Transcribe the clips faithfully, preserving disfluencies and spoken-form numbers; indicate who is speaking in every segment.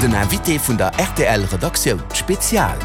Speaker 1: Den Invité vun der R T L Redaktioun Spezial.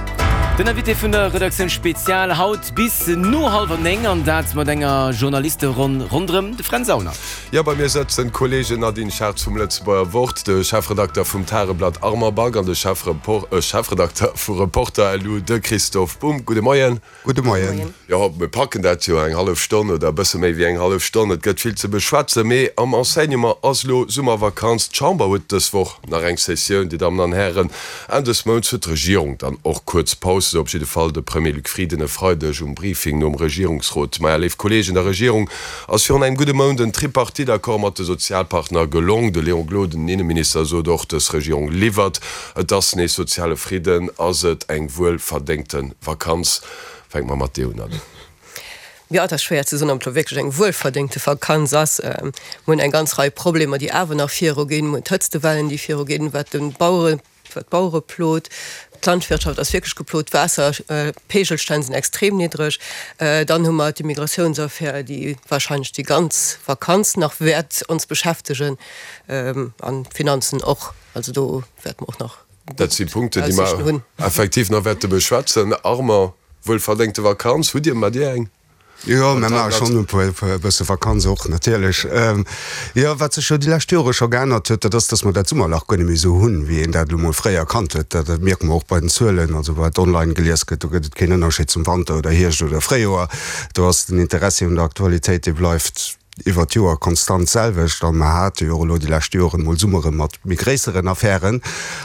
Speaker 2: Den Invité vun der Redaktioun Spezial haut bis no hallwer néng an dat mat enger Journalisteronn ronderëm de Fränz Aulner.
Speaker 3: Jo, bei mir sëtzen d'Kolleegen Nadine Schartz vum Lëtzebuerger Wort, de Chefredakter vum Tageblatt Armand Back an de Chefredakter vu Reporter L U, de Christophe Bumb. Gudde Moien.
Speaker 4: Gudde Moien.
Speaker 3: Jo, mir packen dat jo eng hallef Stonn oder e bësse méi wéi eng hallef Stonn. Et gëtt vill ze beschwätzen. Mee am Enseignement ass elo Summervakanz. D'Chamber huet dës Woch nach eng Sessioun, Dir Dammen an Hären. Enn des Mounts huet d'Regierung dann och kuerz Paus, esou op jidde Fall de Premier Luc Frieden e Freideg um Briefing nom Regierungsrot. Maja, léif Kolleegen, der Regierung ass virun engem gudde Mount en Tripartite-Accord mat de Sozialpartner gelong. De Léon Gloden, den Inneminister, sot och, dës Regierung liwwert. Et ass nees soziale Fridden. Ass et eng wuelverdéngte Vakanz? Fänke mer mat dir un, Nadine.
Speaker 5: Jo, et ass schwéier ze soen, ob et elo wierklech eng wuelverdéngte Vakanz ass. Mir hunn eng ganz Rei Problemer, déi awer nach viruginn. Mir hunn d'Hëtztewellen, déi viruginn, wat de Bauere, wat d'Bauere plot. D'Landwirtschaft ass wierklech geplot, d'Waasserpegelstänn sinn extrem niddreg. Dann hu mer d'Immigratiounsaffär, déi wahrscheinlech déi ganz Vakanz nach wäert ons beschäftegen, an d'Finanzen och. Also do wäerte mer och nach
Speaker 3: Dat si Punkten, déi mer effektiv nach wäerte beschwätzen. Armand, wuelverdéngte Vakanz, hutt Dir, maacht Dir eng?
Speaker 4: Jo, mir maache schonn e bësse Vakanz och natierlech. Jo, wat sech jo déi lescht Jore scho geännert huet, dat ass, datt mer dat Summerlach guer net méi esou hunn, wéi een dat elo mol fréier kannt huet. Dat mierke mer och bei den Zuelen, also wat online gelies gëtt, do gëtt et keen Ënnerscheed zum Wanter oder Hierscht oder Fréijoer. Do ass den Interessi un der Aktualitéit, dee bleift iwwert d'Joer konstant d'selwecht. A mer hate jo och elo déi lescht Joren mol Summere mat méi gréisseren Affären.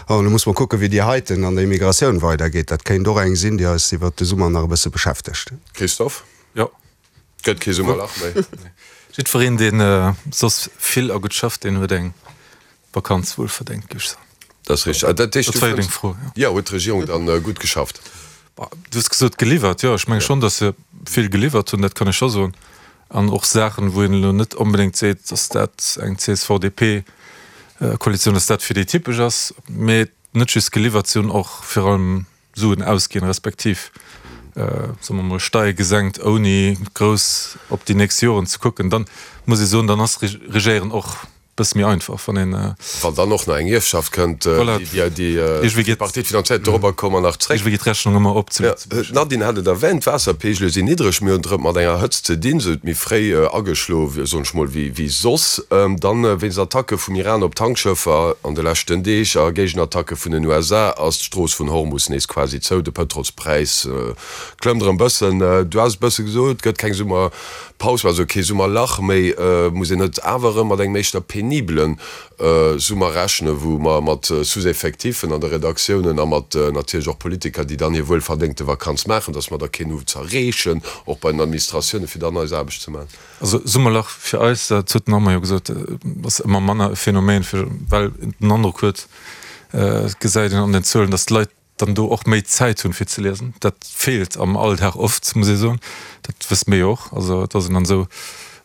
Speaker 4: An elo muss mer kucken, wéi déi heiten an der Immigratioun weidergeet. Dat kéint och eng sinn, déi eis iwwert de Summer nach e bësse beschäftegt.
Speaker 3: Christophe?
Speaker 6: Jo.
Speaker 3: Gëtt kee Summerlach méi.
Speaker 6: Jiddwereen, deen soss vill a gutt schafft, deen huet eng Vakanz wuelverdéngt, géif ech soen.
Speaker 3: Dat ass richteg. Dat heescht,
Speaker 6: Dat war jo deng Fro, jo.
Speaker 3: Jo, huet d'Regierung dann gutt geschafft?
Speaker 6: Du hues gesot geliwwert. Jo, ech menge schonn, datt se vill geliwwert hunn, dat kann ech scho soen. An och Saachen, wou een elo net onbedéngt seet, datt dat eng C S V-D P-Koalitioun, datt dat fir déi typesch ass. Mee net just geliwwert, si hunn och virun allem Suen ausginn, respektiv, soe mer mol, Steiere gesenkt, ouni grouss op déi nächst Joren ze kucken. Dann muss ee soen, dann ass Regéieren och bësse méi einfach, wann een.
Speaker 3: Wann dann och nach eng Ierfschaft kënnt, déi déi Partie finanzéiert, dorobber komme mer nach zréck.
Speaker 6: Iergendwéi geet d'Rechnung ëmmer op zu
Speaker 3: Lëtzebuerg. D'Nadine hat et erwänt, d'Waasserpeegele sinn niddreg. Mir hunn et erëm mat enger Hëtzt ze dinn, se huet méi fréi ageschlo, soen ech mol, wéi soss. Dann wéinst Attacke vum Iran op Tankschëffer an de leschten Deeg a Géigenattacke vun den U S A ass d'Strooss vun Hormus nees quasi zou. De Pëtrolspräis klëmmt erëm bëssen. Du has e bësse gesot, et gëtt keng Summerpaus, also kee Summerlach méi. Muss een net awer erëm mat engem éischter penibelen Summer rechnen, wou mer mat Sous-effectifen an de Redaktiounen a mat natierlech och Politiker, déi dann hir wuelverdéngte Vakanz maachen, dass mer da keen hu z'erreechen, och bei den Administratiounen, fir dann eis Aarbecht ze maachen?
Speaker 6: Also Summerlach fir eis, dat huet den Armand jo gesot, ass ëmmer manner e Phänomen, well een den Androck huet, et gesäit een an den Zuelen, dass d'Leit dann do och méi Zäit hunn, fir ze liesen. Dat feelt am Alldag oft, muss ee soen. Dat wësse mir jo och. Also et ass een dann esou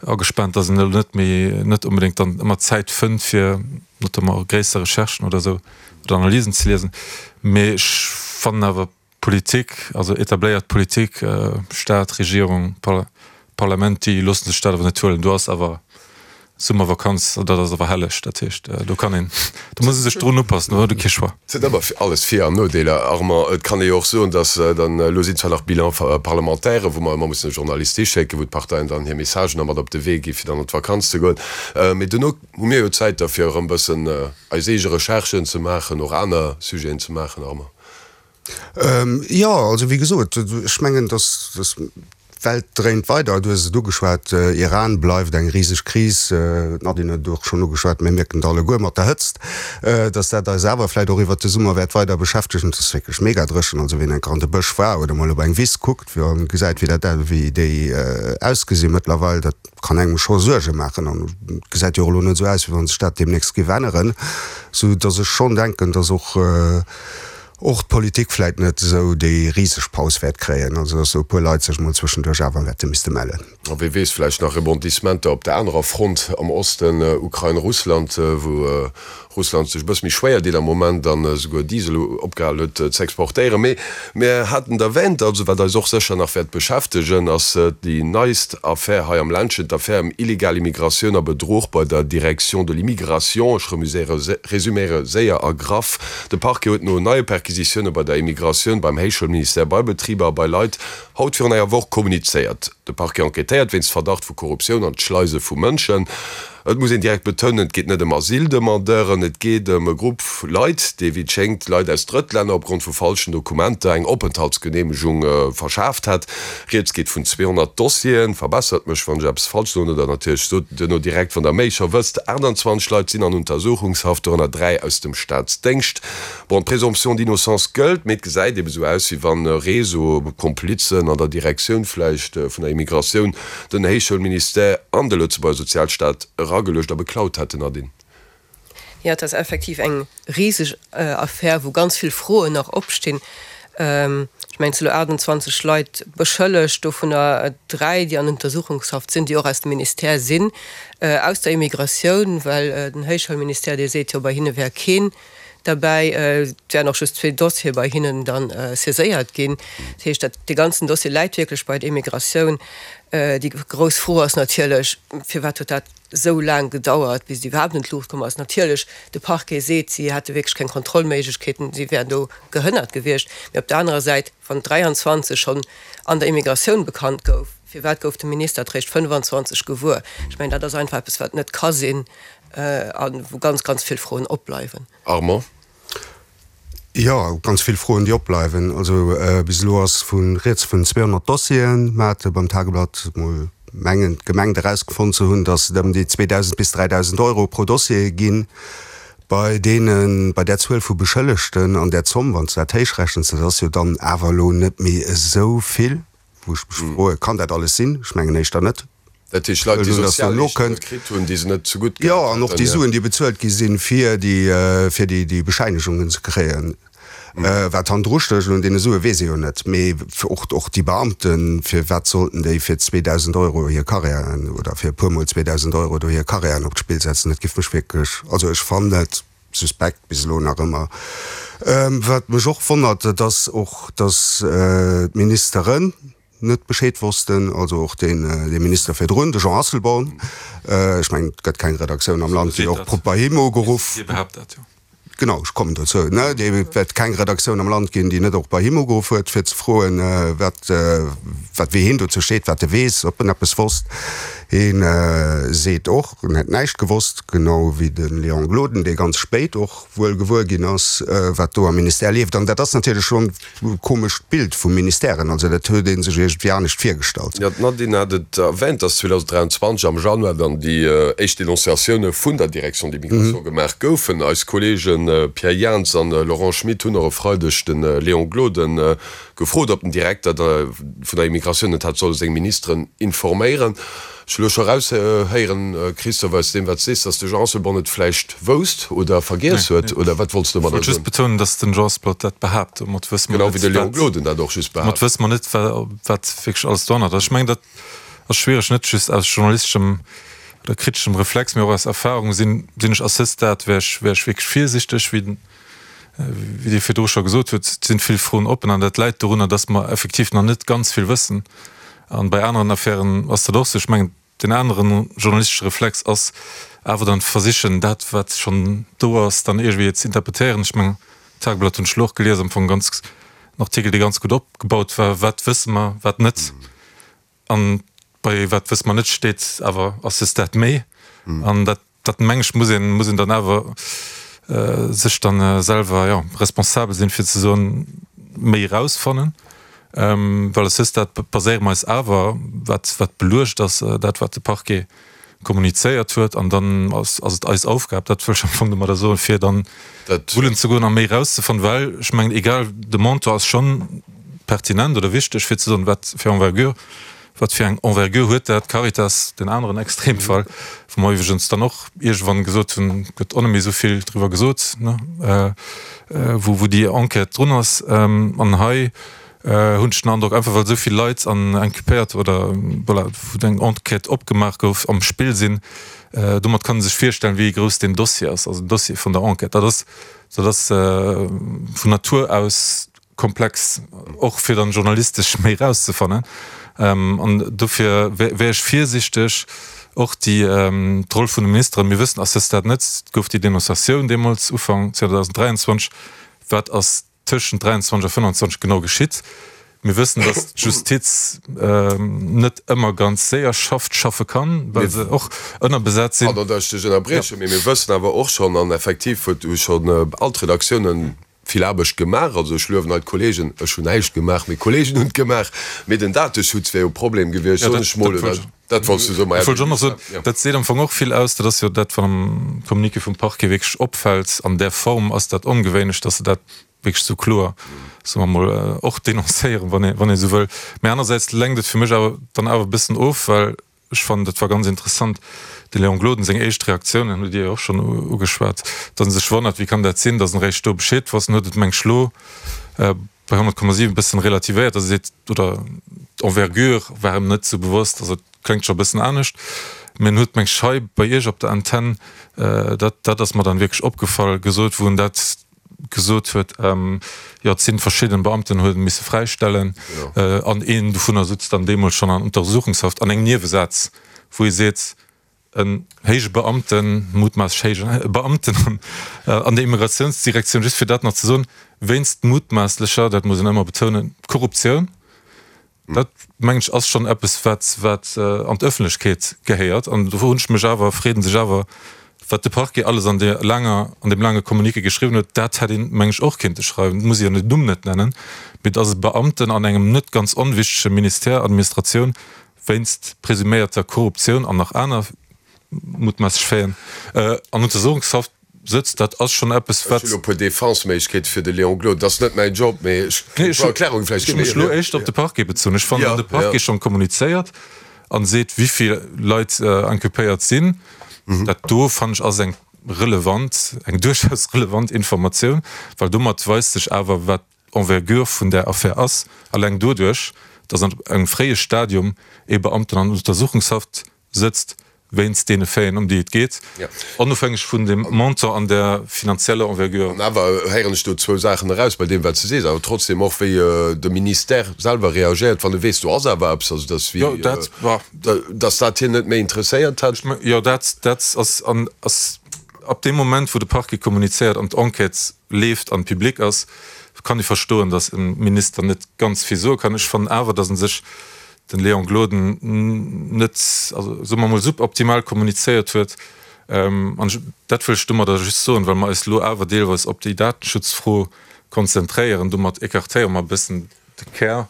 Speaker 6: agespaant, dass een elo net méi, net onbedéngt dann ëmmer Zäit fënnt, fir notamment och gréisser Recherchen oder esou oder Analysen ze liesen. Mee ech fannen awer, Politik, also etabléiert Politik, Staat, Regierung, Parlament, déi loosse sech dat awer net huelen. Do ass awer Summervakanz, dat ass awer helleg. Dat heescht, do kann een, do muss ee sech drun upassen, do huet ee kee Choix.
Speaker 3: Et sinn ëmmer alles Vir an Nodeeler, Armand. Et kann ee jo och soen, datt dann, elo sinn zwar nach Bilans parlementaires, wou mer ëmmer mussen e Journalist hischécken, wou d'Parteien dann hir Messagen da mat op de Wee gi fir dann an d'Vakanz ze goen. Mee duerno hu mir jo Zäit da fir erëm bëssen eis eege Recherchen ze maachen, och aner Sujeten ze maachen, Armand.
Speaker 4: Jo, also wéi gesot, ech mengen, datt d'Welt dréint weider. Du hues et ugeschwat, Iran bleift eng riseg Kris. D'Nadine huet et och schonn ugeschwat, mir mierken et alleguer mat der Hëtzt, datt dat eis awer vläicht och iwwert de Summer wäert weider beschäftegen. Et ass wierklech mega dréchen. Also wien enker an de Bësch war oder mol op eng Wiss kuckt a gesäit, wéi dat, wéi déi ausgesi mëttlerweil, dat kann engem scho Suerge maachen. An et gesäit jo och elo net esou aus, wéi wa sech dat deemnächst géif änneren, sou datt ech schonn denken, datt och, och d'Politik vläit net esou déi riseg Paus wäert kréien, also dass esou e puer Leit sech mol zwëschenduerch awer wäerte misste mellen.
Speaker 3: A wie weess, vläicht nach Rebondissementer op der anerer Front am Osten, Ukrain, Russland, wou Russland sech e bësse méi schwéier deet am Moment an esouguer Diesel opgehal huet ze exportéieren. Mee mir haten et erwähnt, also wat eis och sécher nach wäert beschäftegen, ass déi neist Affär hei am Ländchen, d'Affär ëm illegal Immigratioun a Bedruch bei der Direction de l'immigration. Ech resuméiere séier a graff, De Parquet huet no neie Perquisitioune bei der Immigratioun, beim Héichschoulministère, bei Betriber a bei Leit haut virun enger Woch kommunizéiert. De Parquet enquêtéiert wéinst Verdacht vu Korruptioun an d'Schleise vu Mënschen. Et muss een direkt betounen, et geet net ëm Asyldemandeuren, et geet ëm e Grupp Leit, déi wéi et schéngt Leit aus Drëttlänner opgrond vu falschen Dokumenter eng Openthaltsgeneemegung verschaaft hat. Rieds geet vun zweehonnert Dossieren. Verbessert mech, wann ech eppes falsch soen, oder natierlech sot duerno direkt, wann der méi scho wësst. achtundzwanzeg Leit sinn an Untersuchungshaft, dorënner dräi aus dem Staatsdéngscht. Bon, d'Présomption d'innocence gëllt, mee et gesäit ebe sou aus, wéi wann e Réseau Komplizen an der Direktioun vläicht vun der Immigratioun den Héichschoulministère an de Lëtzebuerger Sozialstaat erageluecht a beklaut hätten, Nadine.
Speaker 5: Jo, et ass effektiv eng riseg Affär, wou ganz vill Froen nach opstinn. Ech mengen, et si lo achtundzwanzeg Leit beschëllegt, dovunner dräi, déi an Untersuchungshaft sinn, déi och aus dem Ministère sinn, aus der Immigratioun, well den Héichschoulministère, dee seet jo, bei hinne wär keen derbäi. Et wären och just zwee Dossiere bei hinnen dann saiséiert ginn. Dat heescht, dat dee ganzen Dossier läit wierklech bei der Immigratioun. Déi grouss Fro ass natierlech, Firwat huet dat esou laang gedauert, bis et iwwerhaapt un d'Luucht komm ass? Natierlech, de Parquet seet, si hätte wierklech keng Kontrollméiglechkeeten, si wären do gehënnert gewiescht. Mee op der anerer Säit, wann dräianzwanzeg schonn an der Immigratioun bekannt gouf, firwat gouf de Minister et réischt fënnefanzwanzeg gewuer? Ech mengen, dat ass einfach eppes, wat net ka sinn a wou ganz, ganz vill Froen opbleiwen.
Speaker 3: Armand.
Speaker 4: Jo, ganz vill Froen, déi opbleiwen. Also bis elo ass vu rieds vun zweehonnert Dossieren. Mer hate beim Tageblatt mol mengen, gemengt erausgefonnt ze hunn, datt et ëm déi zweedausend bis dräidausend Euro pro Dossier ginn. Bei deenen, bei där Zuel vu Beschëllegten an där Zomm, wann s de dat héichrechens, dat ass jo dann awer elo net méi esou vill, wou ech mech froe, kann dat alles sinn? Ech mengen éischter net.
Speaker 3: Dat heescht Leit, déi Sozialleeschtunge kritt hunn, déi se net zegutt
Speaker 4: gehat hätten. Jo, an och déi Suen, déi bezuelt gi sinn, fir déi, fir déi, déi Bescheinegungen ze kréien. Wat hannendru stécht un deene Sue weess ee jo net. Mee och, och déi Beamten, firwat sollten déi fir zweedausend Euro hir Karriären oder fir e puermol zweedausend Euro do hir Karriären op d'Spill setzen? Dat giff mech wierklech, also ech fannen et suspekt bis elo nach ëmmer. Wat mech och wonnert, dat ass och, datt d'Ministeren net Bescheed wossten, also och deen dee Minister virdrun, de Jean Asselborn. Ech mengen, et gëtt keng Redaktioun am Land, déi och bei him ugeruff.
Speaker 6: Hie behaapt dat jo.
Speaker 4: Genau, ech kommen dozou, ne. Et wäert keng Redaktioun am Land ginn, déi net och bei him ugeruff huet, fir ze froen, wat, wat, wéi hien dozou steet, wat e weess, ob en eppes wosst. Hie seet och, en hätt näischt gewosst, genau wéi de Léon Gloden, dee ganz spéit och wuel gewuer ginn ass, wat do am Ministère leeft. An dat ass natierlech schonn e komescht Bild vu Ministèren. Also dat huet ee sech iergendwéi anescht virgestallt.
Speaker 3: Jo, d'Nadine hat et erwänt, dass zweedausenddräianzwanzeg am Januar dann déi éischt Denonciatioune vun der Direction d'immigration gemaach goufen. Eis Kolleege Pierre Jans an Laurent Schmit hunn och e Freideg de Léon Gloden gefrot, ob den Direkter vun der Immigratioun net hätt solle seng Ministeren informéieren. Ech hu lo scho eraushéieren, Christophe, aus deem wat s de sees, datt de Jean Asselborn et vläicht wousst oder vergiess huet, oder wat wollts de
Speaker 6: domadder soen? Ech wollt just betounen, datt den Jean Asselborn dat behaapt. Domat wësse mer
Speaker 3: Genau wéi
Speaker 6: net,
Speaker 3: de Léon
Speaker 6: wat,
Speaker 3: Gloden dat och just
Speaker 6: domat
Speaker 3: behaapt.
Speaker 6: wësse mer net, wat wierklech alles dohannert ass. Ech mengen, dat ass schwiereg, net just aus journalisteschem oder kriteschem Reflex, mee och aus Erfahrung sinn, sinn ech à ce stade, wär ech, wär ech wierklech virsichteg, wéi den, wéi Dir virdru scho gesot hutt, et sinn vill Froen oppen an dat läit dorunner, datt mer effektiv nach net ganz vill wëssen. An bei aneren Affären ass dat och esou. Ech mengen, den aneren journalistesche Reflex ass awer dann versichen, dat wat schonn do ass, dann iergendwéi ze interpretéieren. Ech mengen, d'Tageblatt hunn ech elo och gelies, am Fong ganz en Artikel, dee ganz gutt opgebaut war, Wat wësse mer, wat net? An bei wat wësse mer net steet awer à ce stade méi. An dat Dat meng ech muss een, muss een dann awer sech dann selwer, jo, responsabel sinn, fir ze soen, méi erausfannen. Well à ce stade baséiere mer eis awer, wat, wat beluecht ass, dat wat de Parquet kommunizéiert huet. An dann ass, ass et eis Aufgab, dat wëll ech am Fong domadder soen, fir dann wullen ze goen a méi erauszefannen. Well ech mengen, egal, de Montant ass schonn pertinent oder wichteg, fir ze soen, wat fir Envergure, Wat fir eng Envergure huet dat? Caritas, den aneren Extremfall, wou mer iwwregens dann och iergendwann gesot hunn, gëtt och net méi esou vill driwwer gesot, ne? wou wou déi Enquête drun ass. An hei hunn ech den Androck, einfach well esou vill Leit an inculpéiert oder voilà, wou eng Enquête opgemaach gouf, am Spill sinn, domat kann ee sech virstellen, wéi grouss deen Dossier ass, also den Dossier vun der Enquête. Dat ass, dat ass vun Natur aus komplex, och fir dann journalistesch méi erauszefannen. An dofir wär ech virsichteg, och déi d'Roll vun de Ministeren, mir wëssen à ce stade net, et gouf déi Denonciatioun deemools Ufank zweedausenddräianzwanzeg, wat ass tëschent dräianzwanzeg a fënnanzwanzeg genau geschitt? Mir wëssen, datt d'Justiz net ëmmer ganz séier schafft, schaffe kann, well se och ënnerbesat sinn.
Speaker 3: Pardon, datt ech dech ënnerbriechen, mee mir wëssen awer och schonn, an effektiv huet hu schonn all d'Redaktiounen vill Aarbecht gemaach, also ech luewen hei d'Kollegen, ech hunn näischt gemaach, mee d'Kollegen hunn et gemaach, mee den Dateschutz wär jo e Problem gewiescht, soen ech mol, oder? Dat wollts du soen, ma
Speaker 6: Ech wollt just nach soen, dat seet am Fong och vill aus, dat ass jo dat, wat am Communiqué vum Parquet wierklech opfält, an där Form ass dat ongewéinlech, datt se dat wierklech esou kloer, soe mer mol, och denoncéieren, wann ee, wann ee esou wëll. Mä anersäits lenkt et fir mech awer dann awer e bëssen of, well ech fannen, dat war ganz interessant, de Léon Gloden seng éischt Reaktioun, dat hutt Dir jo och schonn ugeschwat, datt en sech wonnert, wéi kann dat sinn, datt en eréischt do Bescheed wosst. En huet et, meng ech, elo bei honnert Komma siwen e bëssen relativéiert, datt e seet, oder d'Envergure war him net esou bewosst, also et kléngt scho e bëssen anescht. Mä en huet, meng ech, hei bei Iech op der Antenn, dat, dat ass mer dann wierklech opgefall, gesot, wou en dat gesot huet, jo et sinn verschidden Beamten huet misse fräistellen an een dovunner sutzt dann deemools schonn an Untersuchungshaft an engem Niewesaz wou ee seet, en héije Beamten, mutmaasslech héije Beamten an der Immigratiounsdirektioun, just fir dat nach ze soen, wéinst mutmaasslecher, dat muss een ëmmer betounen, Korruptioun. Dat, mengen ech, ass schonn eppes, wat, wat an d'Ëffentlechkeet gehéiert. An do froen ech mech awer, freet ee sech awer, wat de Parquet alles an där laanger, an deem laange Communiqué geschriwwen huet, dat hätt een, mengen ech, och kéinte schreiwen. Et muss ee jo den Numm net nennen, mee dass e Beamten an engem net ganz onwichtege Ministère, Administratioun, wéinst presuméierter Korruptioun an nach aner mutmaasslech Faiten an Untersuchungshaft sëtzt, dat ass schonn eppes,
Speaker 3: wat. Ech hunn elo e puer Defense-Méiglechkeete fir de Léon Gloden. Dat ass net mäin Job, mee ech kéint e puer Erklärunge vläicht
Speaker 6: ginn. Ech hu mech elo éischter op de Parquet bezunn. Ech fannen, wann de Parquet schonn kommunizéiert a seet, wéi vill Leit inculpéiert sinn, dat do, fannen ech, ass eng relevant, eng duerchaus relevant Informatioun, well domat weist sech awer, wat d'Envergure vun där Affär ass, alleng doduerch, datt an engem fréie Stadium ee Beamten an Untersuchungshaft sëtzt wéinst deene Faiten, ëm déi et geet, onofhängeg vun dem Montant an der finanzieller Envergure.
Speaker 3: An awer héieren ech do zwou Saachen eraus bei deem, wat s de sees, awer trotzdem och, wéi de Ministère selwer reagéiert, wann e weess, do ass awer eppes, also dass wéi, dass dat hien net méi interesséiert hätt.
Speaker 6: Jo, dat, dat ass, an ass ab deem Moment, wou de Parquet kommunizéiert an d'Enquête leeft an public ass, kann ee verstoen, dass e Minister net ganz vill soe kann. Ech fannen awer, dass e sech den Léon Gloden net, also soe mer emol, suboptimal kommunizéiert huet. An dat wëll ech domadder just soen, well mer eis elo awer deelweis op déi Datenschutzfro konzentréieren. Domat écartéiere mer e bëssen de Kär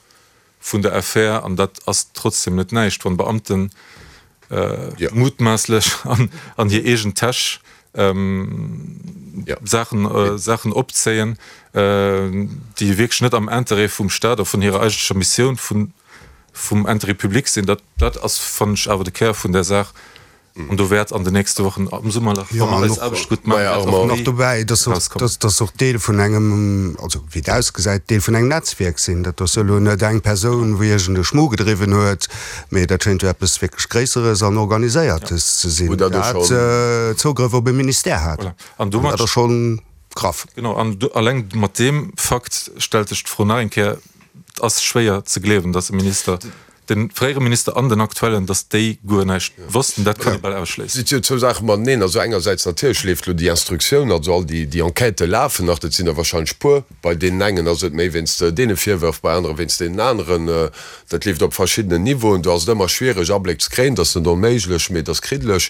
Speaker 6: vun der Affär. An dat ass trotzdem net näischt, wann Beamten mutmaasslech an hir eegen Täsch Saachen, Saachen opzéien, déi wierklech net am Interêt vum Staat a vun hirer eigentlecher Missioun, vun, vum Intérêt public sinn. Dat, dat ass, fannen ech, awer de Kär vun där Saach. An do wäert an den nächste Wochen am Summerlach, wa mer eis Aarbecht gutt maachen, wäert och
Speaker 4: méi
Speaker 6: erauskommen.
Speaker 4: Nach dobäi, dass, dass och Deel vun engem, also wéi et ausgesäit, Deel vun engem Netzwierk sinn. Dat ass jo elo net eng Persoun, wou iergend e Schmu gedriwwen huet, mee dat schéint jo eppes wierklech Gréisseres an Organiséiertes ze sinn, dat Zougrëff op e Ministère hat.
Speaker 6: Voilà. An domat.
Speaker 4: Dat ass scho graff.
Speaker 6: Genau. An alleng mat deem Fakt stellt sech d'Fro nach eng Kéier, Et ass schwéier ze gleewen, datt e Minister, de fréiere Minister an den aktuellen, datt déi guer näischt wossten. Dat kann ee bal ausschléissen.
Speaker 3: Et si jo zwou Saache mateneen. Also engersäits natierlech leeft elo déi Instruktioun, also all déi déi Enquêtë lafen nach, dat sinn der wahrscheinlech puer. Bei deenen engen ass et méi wéinst deene Virwërf, bei anere wéinst deenen aneren. Dat leeft op verschiddenen Niveauen. Do ass et ëmmer schwiereg Abléck ze kréien. Dat ass net onméiglech, mee et ass kriddeleg.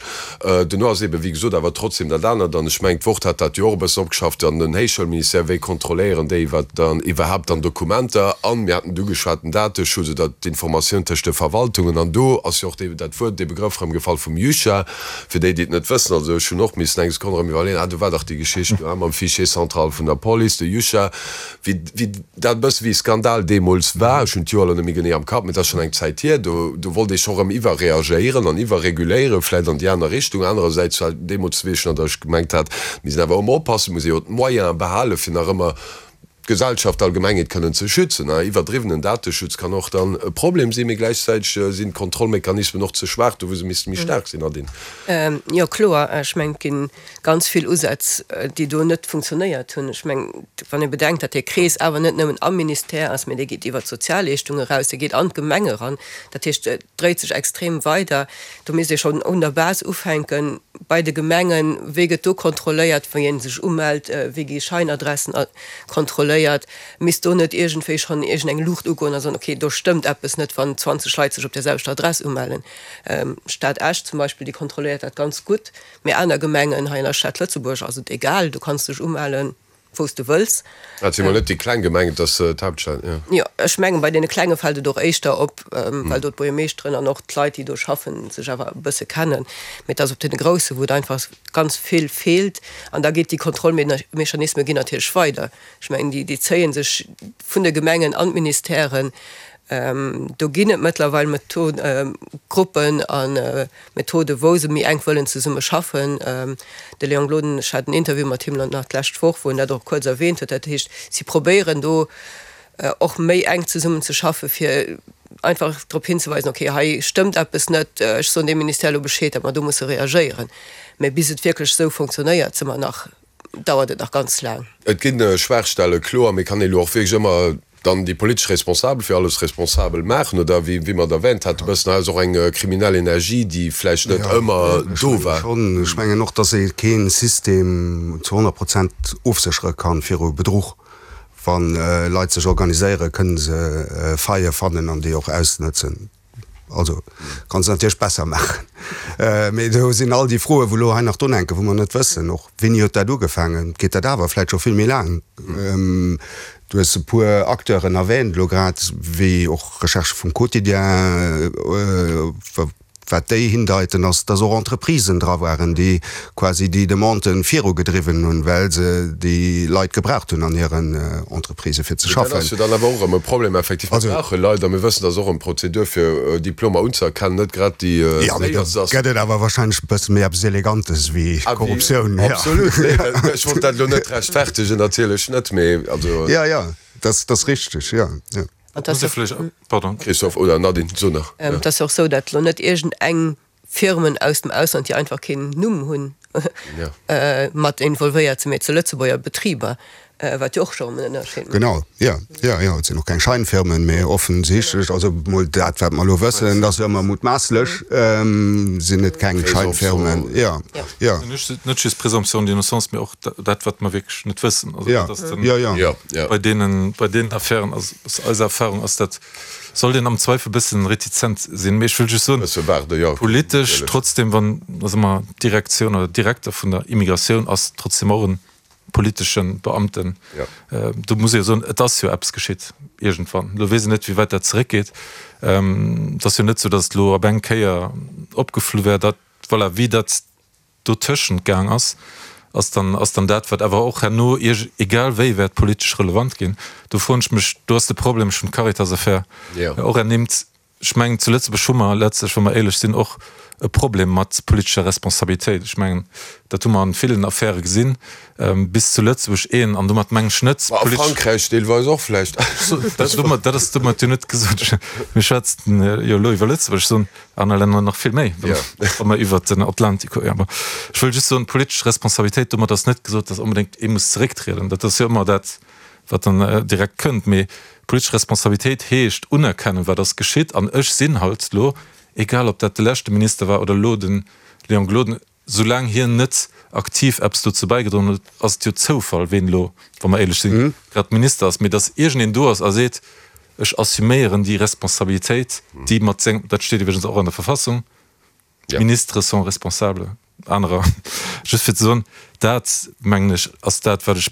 Speaker 3: Duerno ass eeben, wéi gesot, awer trotzdem dat anert, an ech mengen, d'Wort hat dat jo och e bëssen opgeschafft, an den Héichschoulministère, wéi kontrolléieren déi, wat dann iwwerhaapt an Dokumenter, an mir haten et ugeschwat, den Dateschutz oder d'Informatioun tëscht de Verwaltungen. An do ass jo och dee, dat Wuert, dee Begrëff erëm gefall vum JUCHA. Fir déi, déi et net wëssen, also ech hunn och missen eng Sekonn erëm iwwerleeën, ah do war dach déi Geschicht do mam Fichier central vun der Police, de JUCHA, wéi, wéi dat e bësse wéi e Skandal deemools war. Ech hunn d'Joer elo net méi genee am Kapp, mee et ass schonn eng Zäit hier. Do, do wollt ee scho erëm iwwerreagéieren an iwwerreguléieren, vläicht an déi aner Richtung. Anerersäits war deemools, weess ech nach, datt ech gemengt hat, mir sinn awer ëmmer oppassen, et muss ee jo d'Moyene behalen, fir nach ëmmer d'Gesellschaft, d'Allgemengheet kënnen ze schützen. Iwwerdriwwenen Dateschutz kann och dann e Problem sinn, mee gläichzäiteg sinn d'Kontrollmechanismen och ze schwaach do, wou se misste méi staark sinn, Nadine.
Speaker 5: Jo, kloer. Ech mengen, et gi ganz vill Usätz, déi do net funktionéiert hunn. Ech mengen, wann ee bedenkt, datt dee Krees awer net nëmmen am Ministère ass, mee dee geet iwwert d'Sozialleeschtung eraus, dee geet an d'Gemeng eran, dat heescht, et dréit sech extrem weider. Do misst ee schonn un der Base ufänken, bei de Gemengen, wéi gëtt do kontrolléiert, wéi ee sech umellt, wéi gi Scheinadressen kontrolléiert? Misst do net iergendwéi schonn iergendeng Luucht ugoen a soen, okay, do stëmmt eppes net, wann zwanzeg Leit sech op där selwechter Adress umellen? D'Stad Esch zum Beispill, déi kontrolléiert dat ganz gutt, mee aner Gemengen hei an der Stad Lëtzebuerg ass et egal, du kanns dech umellen, wou s de wëlls.
Speaker 3: Dat si mol net déi kleng Gemengen, et ass d'Haaptstad, jo.
Speaker 5: Jo, ech mengen, bei deene klenge fält et och éischter op, well do d'Buergermeeschteren an och d'Leit, déi do schaffen, sech awer e bësse kennen. Mee et ass op deene grousse, wou et einfach ganz vill feelt. An da geet déi Kontrollmechanisme ginn natierlech weider. Ech mengen, déi, déi zéie sech vun de Gemengen an d'Ministèren. Do ginn et mëttlerweil Gruppen a Methoden, wou se méi enk wëllen zesumme schaffen. De Léon Gloden, ech hat en Interview mat him nach d'lescht Woch, wou en dat och kuerz erwähnt huet. Dat heescht, si probéieren do och méi enk zesummen ze schaffen, fir einfach drop hinzeweisen, okay, hei stëmmt eppes net, ech soen deem Ministère elo Bescheed, datt mer do musse reagéieren. Mä bis et wierklech esou fonctionnéiert, si mer nach, dauert et nach ganz laang.
Speaker 3: Et gi Schwaachstelle, kloer, mee kann ee elo och wierklech ëmmer dann déi politesch Responsabel fir alles responsabel maachen oder wéi, wéi mer et erwähnt haten, e bëssen hei ass och eng kriminell Energie, déi vläicht net ëmmer do war.
Speaker 4: Ech mengen och, dass ee kee System zu honnert Prozent ofséchere kann viru Bedruch. Wa Leit sech organiséieren, kënne se Faille fannen an déi och ausnëtzen. Also kanns de natierlech besser maachen. Mee do sinn all déi Froen, wou elo hei nach drun hänken, wou mer net wëssen, och wéini huet dat ugefaangen, geet dat awer vläicht scho vill méi laang. Du hues e puer Acteuren erwähnt elo grad, wéi och Recherchë vum Quotidien, wat déi hindeiten, ass, dass och Entreprisen dra waren, déi quasi déi Demanden virugedriwwen hunn, well se déi Leit gebraucht hunn an hiren Entreprisë fir ze
Speaker 3: schaffen. Dat ass jo dann awer och erëm e Problem, effektiv. Mir brauche Leit a mir wëssen, dass och eng Prozedur fir Diplomer unzëerkennen net grad déi
Speaker 4: séierst ass. Jo, mee da gëtt et awer wahrscheinlech e bësse méi eppes Elegantes wéi Korruptioun.
Speaker 3: Absolut, nee, ech wollt dat elo net rechtfertegen, natierlech net, mee also.
Speaker 4: Jo, jo, dat ass richteg, jo, jo.
Speaker 3: Christophe oder Nadine, so nach.
Speaker 5: Et ass jo och esou, datt elo net iergend eng Firmen aus dem Ausland, déi einfach keen Numm hunn, mat involvéiert sinn, mee et si Lëtzebuerger Betriber, wat jo och scho erëm en Ënnerscheed mécht.
Speaker 4: Genau, jo, jo, jo, et sinn och keng Scheinfirmen, mee offensichtlech, also mol dat, wat mer elo wëssen, dat ass jo ëmmer mutmaasslech, sinn et keng Scheinfirmen, jo, jo.
Speaker 6: Net just Présomption d'innocence, mee och dat, wat mer wierklech net wëssen. Also dat ass den, bei deenen, bei deenen Affären ass, aus eiser Erfahrung ass dat, sollt een am Zweifel e bëssen retizent sinn. Mee ech wëll just soen, politesch trotzdem, wann, da soe mer, d'Direktioun oder Direkter vun der Immigratioun ass trotzdem och e politesche Beamten. Do muss ee jo soen, et ass jo eppes geschitt iergendwann. Elo weess een net, wéi wäit dat zeréckgeet. Et ass jo net esou, datt et elo op eng Kéier opgeflu wär. Dat, voilà, wéi dat dotëschent gaang ass, ass dann, ass dann dat, wat awer och herno ierg, egal wéi, wäert politesch relevant ginn. Do froen ech mech, do ass de Problem, ech hunn d'Caritas-Affär och ernimmt, ech mengen, zu Lëtzebuerg hu mer letztlech, wa mer éierlech sinn, och e Problem mat politescher Responsabilitéit. Ech mengen, dat hu mer an villen Affäre gesinn, bis zu Lëtzebuerg een, an domat mengen ech net
Speaker 3: Ma a Frankräich deelweis och vläicht.
Speaker 6: Dat ass domat jo net gesot. Mir schwätzen jo elo iwwer Lëtzebuerg. Ech soen, aner Länner nach vill méi, wa mer iwwert den Atlantik kucken. Awer ech wëll just soen, politesch Responsabilitéit, domat ass net gesot, datt onbedéngt ee muss zerécktrieden. Dat ass jo ëmmer dat, wat dann direkt kënnt. Mee politesch Responsabilitéit heescht unerkennen, wat ass geschitt. An ech sinn halt elo, egal ob dat de leschte Minister war oder elo de Léon Gloden, soulaang hien net aktiv eppes dozou bäigedroen huet, ass et jo Zoufall, ween elo, wa mer éierlech sinn, grad Minister ass. Mee datt iergendeen do ass a seet, Ech assuméieren déi Responsabilitéit, déi mat sengem, dat steet iwwregens och an der Verfassung, Ministres sont responsables, anerer, just fir ze soen, dat, mengen ech, ass dat, wat ech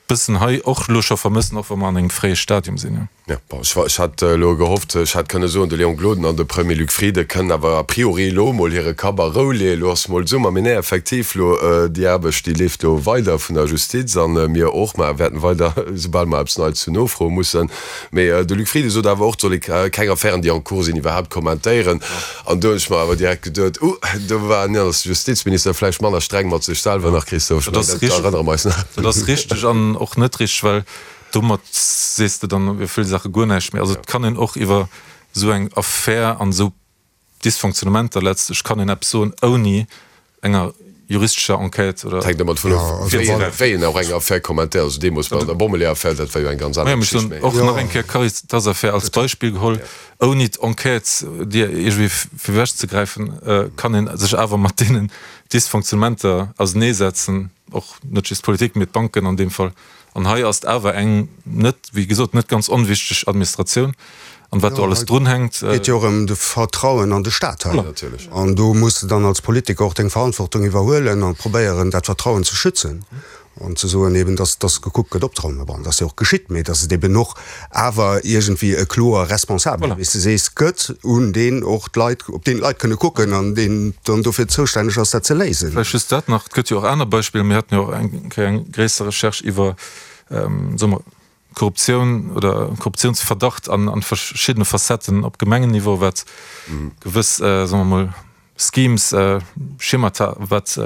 Speaker 6: bëssen hei och elo scho vermëssen, och wa mer an engem fréie Stadium sinn.
Speaker 3: Ja, bon, ech, ech hat elo gehofft, ech hätt kënne soen, de Léon Gloden an de Premier Luc Frieden kënnen awer a priori elo emol hire Kapp a Rou leeën, elo ass mol Summer. Mee nee, effektiv, elo déi Aarbecht, déi leeft elo weider vun der Justiz a mir och. Mer wäerten weider, soubal mer eppes Neits hunn, nofroe mussen. Mee de Luc Frieden sot awer och, et soll ee keng Affären, déi en cours sinn, iwwerhaapt kommentéieren. An do hunn ech mer awer direkt geduet, Uh, do war den Justizminister vläicht manner streng mat sech selwer nach, Christophe. Ech mengen, dat erënnere mer eis nach.
Speaker 6: Dat ass richteg an och net richteg, well domat sees de dann iwwer vill Saache guer näischt méi. Also et kann een och iwwer esou eng Affär an esou Dysfonctionnementer letztlech kann een eppes soen, ouni enger juristescher Enquête oder.
Speaker 3: Et hänkt ëmmer dovun of, wéi een och eng Affär kommentéiert. Also deemools bei der Bommeleeër-Affär, dat war jo eng ganz aner
Speaker 6: Geschicht. Mä ech hunn och nach eng Kéier d'Caritas-Affär als Beispill geholl. Ouni d'Enquête dir iergendwéi virwechzegräifen, kann ee sech awer mat deenen Dysfonctionnementer auseneesetzen, och net just d'Politik, mee d'Banken an deem Fall. An hei ass et awer eng net, wéi gesot, net ganz onwichteg Administratioun an wat do alles drunhänkt.
Speaker 4: Et geet jo och ëm de Vertrauen an de Staat hei. An do muss de dann als Politiker och deng Verantwortung iwwerhuelen a probéieren, dat Vertrauen ze schützen an ze soen eben, dass, dass gekuckt gëtt opzeraumen. Bon, dat ass jo och geschitt, mee dass et eben och awer iergendwéi e kloer Responsabel, wéi s de sees, gëtt, un deen och d'Leit, op deen d'Leit kënne kucken an deen dann dofir zoustänneg ass, dat ze léisen.
Speaker 6: Vläicht just dat nach, et gëtt jo och aner Beispiller. Mir haten jo och eng Kéier eng gréisser Recherche iwwer, soe mer, Korruptioun oder Korruptiounsverdacht an an verschiddene Facetten op Gemengenniveau, wat gewëss, soe mer mol, Schemes, Schemata, wat